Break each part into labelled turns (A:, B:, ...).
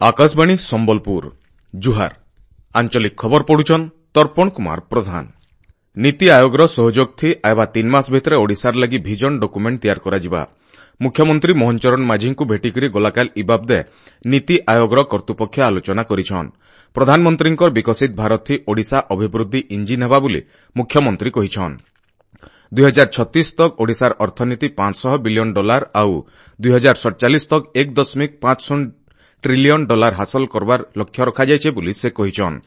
A: ଆକାଶବାଣୀ ସମ୍ବଲପୁର, ଜୁହାର। ଆଞ୍ଚଳିକ ଖବର ପଢୁଛନ୍ ତର୍ପଣ କୁମାର ପ୍ରଧାନ। ନୀତି ଆୟୋଗର ସହଯୋଗ ଥି ଆଇବା 3 ମାସ ଭିତରେ ଓଡ଼ିଶାର ଲାଗି ଭିଜନ ଡକୁମେଣ୍ଟ ତିଆର କରାଯିବା। ମୁଖ୍ୟମନ୍ତ୍ରୀ ମୋହନ ଚରଣ ମାଝୀଙ୍କୁ ଭେଟିକରି ଗଲାକାଲ ଇ ବାବଦେ ନୀତି ଆୟୋଗର କର୍ତ୍ତୃପକ୍ଷ ଆଲୋଚନା କରିଛନ୍। ପ୍ରଧାନମନ୍ତ୍ରୀଙ୍କର ବିକଶିତ ଭାରତ ଥି ଓଡ଼ିଶା ଅଭିବୃଦ୍ଧି ଇଞ୍ଜିନ୍ ହେବା ବୋଲି ମୁଖ୍ୟମନ୍ତ୍ରୀ କହିଛନ୍। 2036 ତକ୍ ଓଡ଼ିଶାର ଅର୍ଥନୀତି 500 ବିଲିୟନ ଡଲାର ଆଉ 2047 ତକ୍ 1.50 ଟ୍ରିଲିୟନ ଡଲାର ହାସଲ କରବାର ଲକ୍ଷ୍ୟ ରଖାଯାଇଛି ବୋଲି ସେ କହିଛନ୍।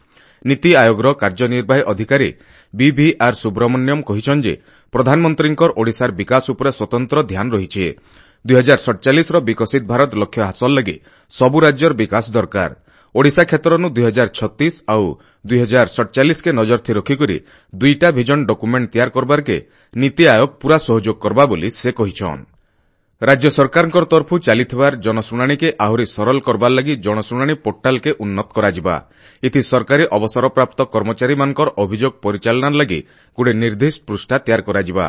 A: ନୀତି ଆୟୋଗର କାର୍ଯ୍ୟନିର୍ବାହୀ ଅଧିକାରୀ ବିଭିଆର୍ ସୁବ୍ରମଣ୍ୟମ କହିଛନ୍ ଯେ ପ୍ରଧାନମନ୍ତ୍ରୀଙ୍କର ଓଡ଼ିଶାର ବିକାଶ ଉପରେ ସ୍ୱତନ୍ତ୍ର ଧ୍ୟାନ ରହିଛି। 2047ର ବିକଶିତ ଭାରତ ଲକ୍ଷ୍ୟ ହାସଲ ଲାଗି ସବୁ ରାଜ୍ୟର ବିକାଶ ଦରକାର। ଓଡ଼ିଶା କ୍ଷେତ୍ରନୁ 2036 ଆଉ 2047କେ ନଜର ଥି ରଖିକରି ଦୁଇଟା ଭିଜନ ଡକୁମେଣ୍ଟ ତିଆର କରବାରକେ ନୀତି ଆୟୋଗ ପୂରା ସହଯୋଗ କରବା ବୋଲି ସେ କହିଛନ୍। ରାଜ୍ୟ ସରକାରଙ୍କର ତରଫୁ ଚାଲିଥିବାର ଜନଶୁଣାଣିକେ ଆହୁରି ସରଳ କରବାର ଲାଗି ଜନଶୁଣାଣି ପୋର୍ଟାଲକେ ଉନ୍ନତ କରାଯିବା। ଏଥି ସରକାରୀ ଅବସରପ୍ରାପ୍ତ କର୍ମଚାରୀମାନଙ୍କର ଅଭିଯୋଗ ପରିଚାଳନା ଲାଗି ଗୋଟେ ନିର୍ଦ୍ଦିଷ୍ଟ ପୃଷ୍ଠା ତିଆର କରାଯିବା।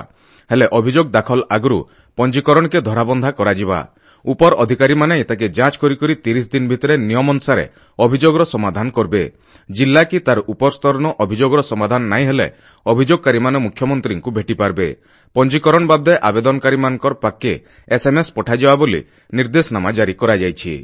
A: ହେଲେ ଅଭିଯୋଗ ଦାଖଲ ଆଗରୁ ପଞ୍ଜୀକରଣକେ ଧରାବନ୍ଧା କରାଯିବା। ଉପର ଅଧିକାରୀମାନେ ଏତାକେ ଯାଞ୍ଚ କରିକରି 30 ଦିନ ଭିତରେ ନିୟମ ଅନୁସାରେ ଅଭିଯୋଗର ସମାଧାନ କରବେ। ଜିଲ୍ଲା କି ତାର ଉପର ସ୍ତରନ ଅଭିଯୋଗର ସମାଧାନ ନାଇଁ ହେଲେ ଅଭିଯୋଗକାରୀମାନେ ମୁଖ୍ୟମନ୍ତ୍ରୀଙ୍କୁ ଭେଟିପାରବେ। ପଞ୍ଜୀକରଣ ବାବଦେ ଆବେଦନକାରୀମାନଙ୍କର ପାଖକେ ଏସ୍ଏମ୍ଏସ୍ ପଠାଯିବା ବୋଲି ନିର୍ଦ୍ଦେଶନାମା ଜାରି କରାଯାଇଛି।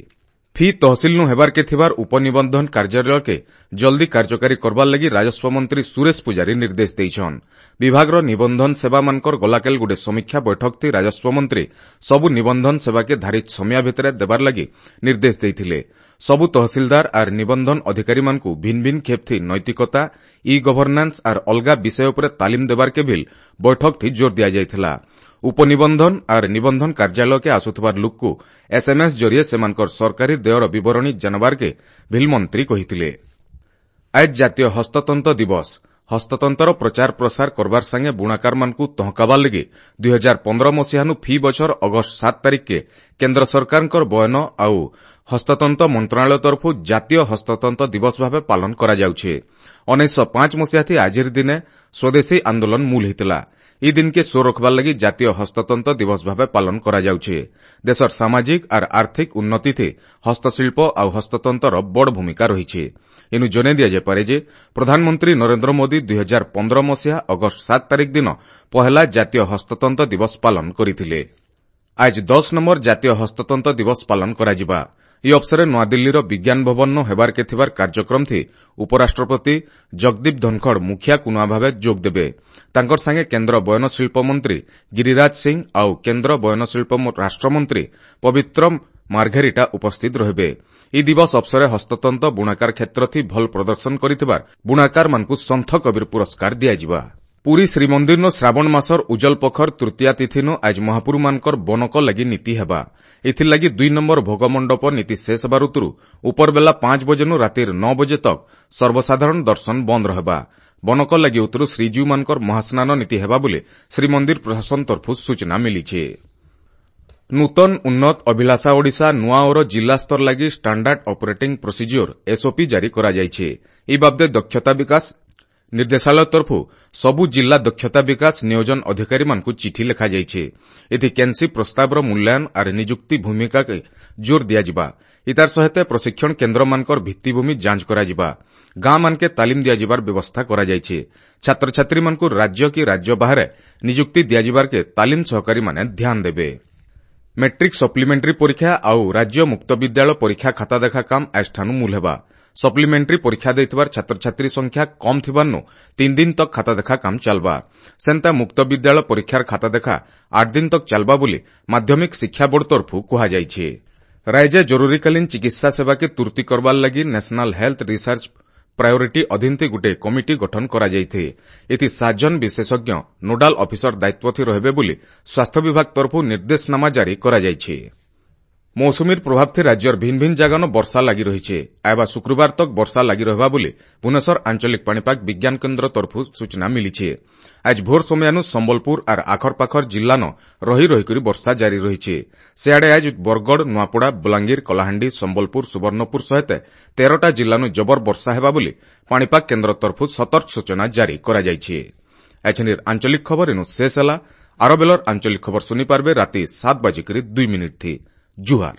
A: ଫି ତହସିଲନୁ ହେବାରକେ ଥିବାର ଉପନିବନ୍ଧନ କାର୍ଯ୍ୟାଳୟକେ ଜଲ୍ଦି କାର୍ଯ୍ୟକାରୀ କରବାର ଲାଗି ରାଜସ୍ୱ ମନ୍ତ୍ରୀ ସୁରେଶ ପୂଜାରୀ ନିର୍ଦ୍ଦେଶ ଦେଇଛନ୍। ବିଭାଗର ନିବନ୍ଧନ ସେବାମାନଙ୍କର ଗଲାକାଲି ଗୋଟେ ସମୀକ୍ଷା ବୈଠକ ଥି ରାଜସ୍ୱ ମନ୍ତ୍ରୀ ସବୁ ନିବନ୍ଧନ ସେବାକେ ଧାରିତ ସମୟ ଭିତରେ ଦେବାର ଲାଗି ନିର୍ଦ୍ଦେଶ ଦେଇଥିଲେ। ସବୁ ତହସିଲଦାର ଆର୍ ନିବନ୍ଧନ ଅଧିକାରୀମାନଙ୍କୁ ଭିନ୍ ଭିନ୍ ଖେପ୍ ଥି ନୈତିକତା, ଇ ଗଭର୍ଣ୍ଣାନ୍ସ ଆର୍ ଅଲଗା ବିଷୟ ଉପରେ ତାଲିମ ଦେବାରକେ ଭିଲ୍ ବୈଠକ ଥି ଜୋର ଦିଆଯାଇଥିଲା। ଉପନିବନ୍ଧନ ଆର୍ ନିବନ୍ଧନ କାର୍ଯ୍ୟାଳୟକେ ଆସୁଥିବାର ଲୋକକୁ ଏସ୍ଏମ୍ଏସ୍ ଜରିଏ ସେମାନଙ୍କର ସରକାରୀ ଦେୟର ବିବରଣୀ ଜାଣବାରକେ ଭିଲ୍ ମନ୍ତ୍ରୀ କହିଥିଲେ। ଆଜ ଜାତୀୟ ହସ୍ତତନ୍ତ ଦିବସ। ହସ୍ତତନ୍ତର ପ୍ରଚାର ପ୍ରସାର କରବାର ସାଙ୍ଗେ ବୁଣାକାରମାନଙ୍କୁ ତହକାବାର ଲାଗି 2015 ମସିହାନୁ ଫି ବଛର ଅଗଷ୍ଟ 7 ତାରିଖକେ କେନ୍ଦ୍ର ସରକାରଙ୍କର ବୟନ ଆଉ ହସ୍ତତନ୍ତ ମନ୍ତ୍ରଣାଳୟ ତରଫରୁ ଜାତୀୟ ହସ୍ତତନ୍ତ ଦିବସ ଭାବେ ପାଳନ କରାଯାଉଛି। 1905 ମସିହାଥି ଆଜିର ଦିନେ ସ୍ୱଦେଶୀ ଆନ୍ଦୋଳନ ମୂଳ ହେଇଥିଲା। ଇ ଦିନକେ ସୋର ରଖବାର ଲାଗି ଜାତୀୟ ହସ୍ତତନ୍ତ ଦିବସ ଭାବେ ପାଳନ କରାଯାଉଛି। ଦେଶର ସାମାଜିକ ଆର୍ ଆର୍ଥିକ ଉନ୍ନତିଥି ହସ୍ତଶିଳ୍ପ ଆଉ ହସ୍ତତନ୍ତର ବଡ଼ ଭୂମିକା ରହିଛି। ଇନୁ ଜଣାଇ ଦିଆଯାଇପାରେ ଯେ ପ୍ରଧାନମନ୍ତ୍ରୀ ନରେନ୍ଦ୍ର ମୋଦି 2015 ମସିହା ଅଗଷ୍ଟ 7 ତାରିଖ ଦିନ ପହେଲା ଜାତୀୟ ହସ୍ତତନ୍ତ ଦିବସ ପାଳନ କରିଥିଲେ। ଆଜ 10 ନମ୍ବର ଜାତୀୟ ହସ୍ତତନ୍ତ ଦିବସ ପାଳନ କରାଯିବା। ଇ ଅବସରେ ନୂଆଦିଲ୍ଲୀର ବିଜ୍ଞାନ ଭବନ ହେବାରକେ ଥିବାର କାର୍ଯ୍ୟକ୍ରମ ଥି ଉପରାଷ୍ଟ୍ରପତି ଜଗଦୀପ ଧନଖଡ଼ ମୁଖିଆ କୁନୁଆ ଭାବେ ଯୋଗ ଦେବେ। ତାଙ୍କର ସାଙ୍ଗେ କେନ୍ଦ୍ର ବୟନଶିଳ୍ପ ମନ୍ତ୍ରୀ ଗିରିରାଜ ସିଂ ଆଉ କେନ୍ଦ୍ର ବୟନଶିଳ୍ପ ରାଷ୍ଟ୍ରମନ୍ତ୍ରୀ ପବିତ୍ର ମାର୍ଘେରିଟା ଉପସ୍ଥିତ ରହିବେ। ଇ ଦିବସ ଅବସରେ ହସ୍ତତନ୍ତ ବୁଣାକାର କ୍ଷେତ୍ର ଥି ଭଲ ପ୍ରଦର୍ଶନ କରିଥିବାର ବୁଣାକାରମାନଙ୍କୁ ସନ୍ଥ କବୀର ପୁରସ୍କାର ଦିଆଯିବା। ପୁରୀ ଶ୍ରୀମନ୍ଦିରନୁ ଶ୍ରାବଣ ମାସର ଉଜଲ ପଖର ତୃତୀୟା ତିଥିନୁ ଆଜ ମହାପୁରୁମାନଙ୍କର ବନକ ଲାଗି ନୀତି ହେବା। ଏଥିର୍ଲାଗି 2 ନମ୍ବର ଭୋଗମଣ୍ଡପ ନୀତି ଶେଷ ହେବା ଋତୁରୁ ଉପରବେଲା 5 ବଜେନୁ ରାତିର 9 ବଜେ ତକ୍ ସର୍ବସାଧାରଣ ଦର୍ଶନ ବନ୍ଦ ରହିବା। ବନକ ଲାଗି ଉତ୍ତରୁ ଶ୍ରୀଜୀଉମାନଙ୍କର ମହାସ୍ନାନ ନୀତି ହେବା ବୋଲି ଶ୍ରୀମନ୍ଦିର ପ୍ରଶାସନ ତରଫରୁ ସୂଚନା ମିଳିଛି। ନୂତନ ଉନ୍ନତ ଅଭିଳାଷା ଓଡ଼ିଶା ନୂଆ ଓର ଜିଲ୍ଲା ସ୍ତର ଲାଗି ଷ୍ଟାଣ୍ଡାର୍ଡ ଅପରେଟିଂ ପ୍ରୋସିଜିଓର ଏସ୍ଓପି ଜାରି କରାଯାଇଛି। ଏ ବାବଦେ ଦକ୍ଷତା ବିକାଶ ନିର୍ଦ୍ଦେଶାଳୟ ତରଫରୁ ସବୁ ଜିଲ୍ଲା ଦକ୍ଷତା ବିକାଶ ନିୟୋଜନ ଅଧିକାରୀମାନଙ୍କୁ ଚିଠି ଲେଖାଯାଇଛି। ଏଥି କେନ୍ସି ପ୍ରସ୍ତାବର ମୂଲ୍ୟାୟନ ଆର୍ ନିଯୁକ୍ତି ଭୂମିକାକେ ଜୋର ଦିଆଯିବା। ଇତାର ସହିତ ପ୍ରଶିକ୍ଷଣ କେନ୍ଦ୍ରମାନଙ୍କର ଭିତ୍ତିଭୂମି ଯାଞ୍ଚ କରାଯିବା। ଗାଁମାନକେ ତାଲିମ ଦିଆଯିବାର ବ୍ୟବସ୍ଥା କରାଯାଇଛି। ଛାତ୍ରଛାତ୍ରୀମାନଙ୍କୁ ରାଜ୍ୟ କି ରାଜ୍ୟ ବାହାରେ ନିଯୁକ୍ତି ଦିଆଯିବାରକେ ତାଲିମ ସହକାରୀମାନେ ଧ୍ୟାନ ଦେବେ। ମେଟ୍ରିକ ସପ୍ଲିମେଣ୍ଟାରୀ ପରୀକ୍ଷା ଆଉ ରାଜ୍ୟ ମୁକ୍ତ ବିଦ୍ୟାଳୟ ପରୀକ୍ଷା ଖାତା ଦେଖା କାମ ଆଜଠାନୁ ମୂଲ ହେବା। ସପ୍ଲିମେଣ୍ଟାରୀ ପରୀକ୍ଷା ଦେଇଥିବାର ଛାତ୍ରଛାତ୍ରୀ ସଂଖ୍ୟା କମ୍ ଥିବାରୁ 3 ଦିନ ତକ୍ ଖାତା ଦେଖା କାମ ଚାଲବା। ସେନ୍ତା ମୁକ୍ତ ବିଦ୍ୟାଳୟ ପରୀକ୍ଷାର ଖାତା ଦେଖା 8 ଦିନ ତକ୍ ଚାଲବା ବୋଲି ମାଧ୍ୟମିକ ଶିକ୍ଷା ବୋର୍ଡ ତରଫରୁ କୁହାଯାଇଛି। ରାଜ୍ୟ ଜରୁରୀକାଳୀନ ଚିକିତ୍ସା ସେବାକେ ତୁର୍ତି କରବାର ଲାଗି ନ୍ୟାସନାଲ ହେଲ୍ଥ ରିସର୍ଚ୍ଚ ପ୍ରାୟୋରିଟି ଅଧୀନଥି ଗୋଟେ କମିଟି ଗଠନ କରାଯାଇଥି। ଏଥି 7 ଜଣ ବିଶେଷଜ୍ଞ ନୋଡାଲ ଅଫିସର ଦାୟିତ୍ୱ ଥି ରହିବେ ବୋଲି ସ୍ୱାସ୍ଥ୍ୟ ବିଭାଗ ତରଫରୁ ନିର୍ଦ୍ଦେଶନାମା ଜାରି କରାଯାଇଛି। ମୌସୁମୀର ପ୍ରଭାବ ଥି ରାଜ୍ୟର ଭିନ୍ ଭିନ୍ ଜାଗାନ ବର୍ଷା ଲାଗି ରହିଛି। ଆଇବା ଶୁକ୍ରବାର ତକ୍ ବର୍ଷା ଲାଗି ରହିବା ବୋଲି ଭୁବନେଶ୍ୱର ଆଞ୍ଚଳିକ ପାଣିପାଗ ବିଜ୍ଞାନ କେନ୍ଦ୍ର ତରଫରୁ ସୂଚନା ମିଳିଛି। ଆଜ ଭୋର ସମୟାନୁ ସମ୍ବଲପୁର ଆର୍ ଆଖରପାଖର ଜିଲ୍ଲାନ ରହି ରହିକରି ବର୍ଷା ଜାରି ରହିଛି। ସେଆଡ଼େ ଆଜ ବରଗଡ଼, ନୂଆପଡ଼ା, ବଲାଙ୍ଗୀର, କଳାହାଣ୍ଡି, ସମ୍ବଲପୁର, ସୁବର୍ଣ୍ଣପୁର ସହିତ 13ଟା ଜିଲ୍ଲାନୁ ଜବର ବର୍ଷା ହେବା ବୋଲି ପାଣିପାଗ କେନ୍ଦ୍ର ତରଫରୁ ସତର୍କ ସୂଚନା ଜାରି କରାଯାଇଛି। ଏଛେନିର ଆଞ୍ଚଳିକ ଖବର ଇନୁ ଶେଷ ହେଲା। ଆର ବେଲର ଆଞ୍ଚଳିକ ଖବର ଶୁଣିପାରବେ ରାତି 7:02 ଥି। ଜୁହାର।